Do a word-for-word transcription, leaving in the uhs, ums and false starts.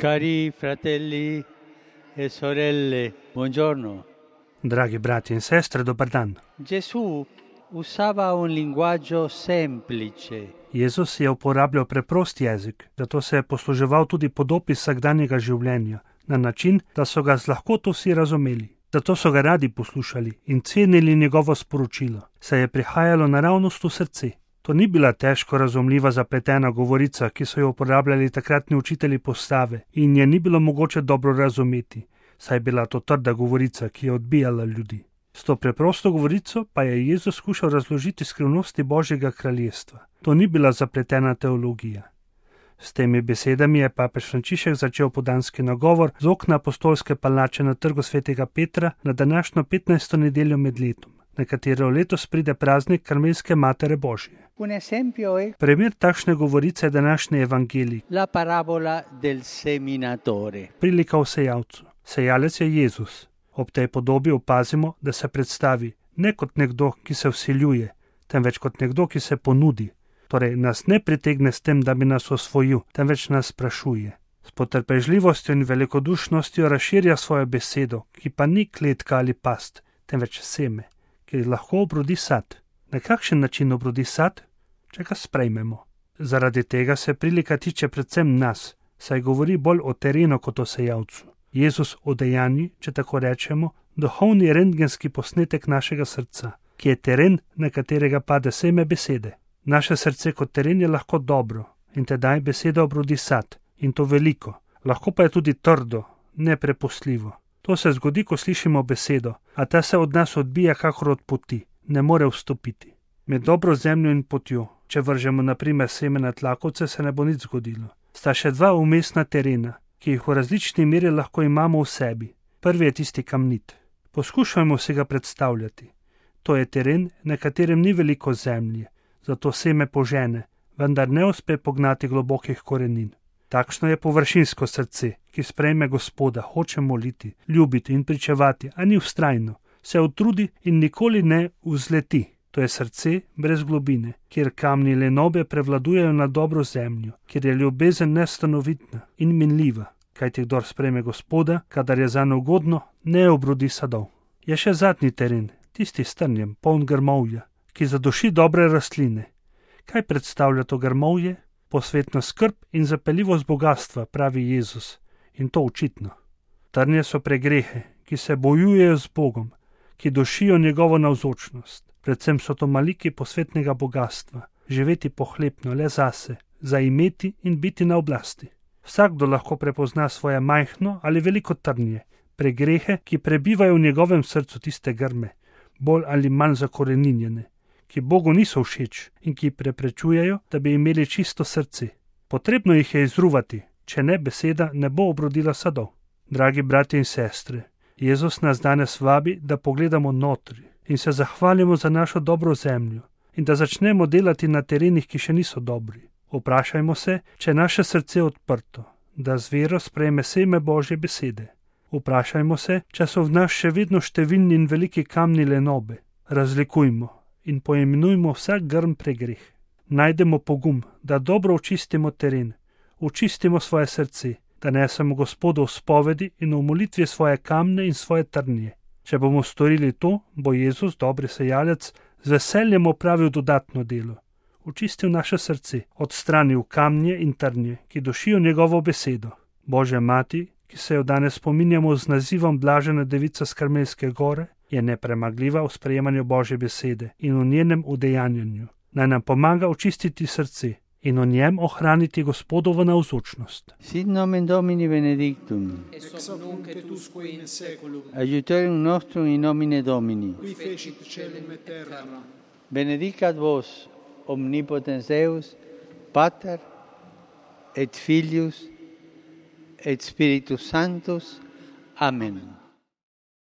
Cari fratelli e sorelle, buongiorno. Dragi brati in sestre, dobar dan. Gesù usava un linguaggio semplice. Jezus je uporabljal preprost jezik, zato se je posluževal tudi podob iz vsakdanjega življenja, na način, da so ga z lahkoto vsi razumeli. Zato so ga radi poslušali in cenili njegovo sporočilo, saj je prihajalo naravnost v srce. To ni bila težko razumljiva zapletena govorica, ki so jo uporabljali takratni učitelji postave in je ni bilo mogoče dobro razumeti, saj je bila to trda govorica, ki je odbijala ljudi. S to preprosto govorico pa je Jezus skušal razložiti skrivnosti Božjega kraljestva. To ni bila zapletena teologija. S temi besedami je papež Frančišek začel podanski nagovor z okna apostolske palače na trgu svetega Petra na današnjo petnajsto nedeljo med letom, na katero letos pride praznik Karmelske Matere Božje. Primer takšne govorice je današnji evangelij. La parabola del seminatore. Prilika o sejalcu. Sejalec je Jezus. Ob tej podobi opazimo, da se predstavi ne kot nekdo, ki se vsiljuje, temveč kot nekdo, ki se ponudi. Torej nas ne pritegne s tem, da bi nas osvojil, temveč nas sprašuje. S potrpežljivostjo in velikodušnostjo razširja svojo besedo, ki pa ni kletka ali past, temveč seme, ki lahko obrodi sad. Na kakšen način obrodi sad? Če ga sprejmemo. Zaradi tega se prilika tiče predvsem nas, saj govori bolj o terenu kot o sejalcu. Jezus odejanji, če tako rečemo, duhovni rentgenski posnetek našega srca, ki je teren, na katerega pade seme besede. Naše srce kot teren je lahko dobro in tedaj beseda obrodi sad, in to veliko. Lahko pa je tudi trdo, neprepustljivo. To se zgodi, ko slišimo besedo, a ta se od nas odbija kakor od poti, ne more vstopiti. Med dobro zemljo in potjo, če vržemo na primer seme na tlakovce, se ne bo nič zgodilo. Sta še dva umestna terena, ki jih v različni meri lahko imamo v sebi. Prvi je tisti kamnit. Poskušajmo si ga predstavljati. To je teren, na katerem ni veliko zemlje, zato seme požene, vendar ne uspe pognati globokih korenin. Takšno je površinsko srce, ki sprejme Gospoda, hoče moliti, ljubiti in pričevati, a ni vztrajno, se utrudi in nikoli ne vzleti. To je srce brez globine, kjer kamni lenobe prevladujejo nad dobro zemljo, kjer je ljubezen nestanovitna in minljiva, kajti kdor sprejme Gospoda, kadar je zanj ugodno, ne obrodi sadov. Je še zadnji teren, tisti s trnjem, poln grmovja, ki zaduši dobre rastline. Kaj predstavlja to grmovje? Posvetna skrb in zapeljivost bogatstva, pravi Jezus, in to očitno. Trnje so pregrehe, ki se bojujejo z Bogom, ki dušijo njegovo navzočnost. Predvsem so to maliki posvetnega bogatstva, živeti pohlepno le zase, zaimeti in biti na oblasti. Vsakdo lahko prepozna svoje majhno ali veliko trnje, pregrehe, ki prebivajo v njegovem srcu, tiste grme, bolj ali manj zakoreninjene, ki Bogu niso všeč in ki preprečujejo, da bi imeli čisto srce. Potrebno jih je izruvati, če ne beseda ne bo obrodila sadov. Dragi bratje in sestre, Jezus nas danes vabi, da pogledamo notri in se zahvalimo za našo dobro zemljo in da začnemo delati na terenih, ki še niso dobri. Vprašajmo se, če je naše srce odprto, da z vero sprejme seme Božje besede. Vprašajmo se, če so v nas še vedno številni in veliki kamni lenobe. Razlikujmo in poimenujmo vsak grm pregreh. Najdemo pogum, da dobro očistimo teren, očistimo svoje srce, da nesemo Gospodu v spovedi in v molitvi svoje kamne in svoje trnje. Če bomo storili to, bo Jezus, dobri sejalec, z veseljem opravil dodatno delo. Očistil naše srce, odstranil kamnje in trnje, ki dušijo njegovo besedo. Božja mati, ki se jo danes spominjamo z nazivom Blažena devica s Karmelske gore, je nepremagljiva v sprejemanju Božje besede in v njenem udejanjanju. Naj nam pomaga očistiti srce in v njem ohraniti Gospodovo navzočnost. Sit nomen Domini benedictum. Ex hoc nunc et usque in seculum. Aiutorium nostrum in nomine Domini. Qui fecit caelum et terram. Benedicat vos omnipotens Deus, Pater et Filius et Spiritus Sanctus. Amen.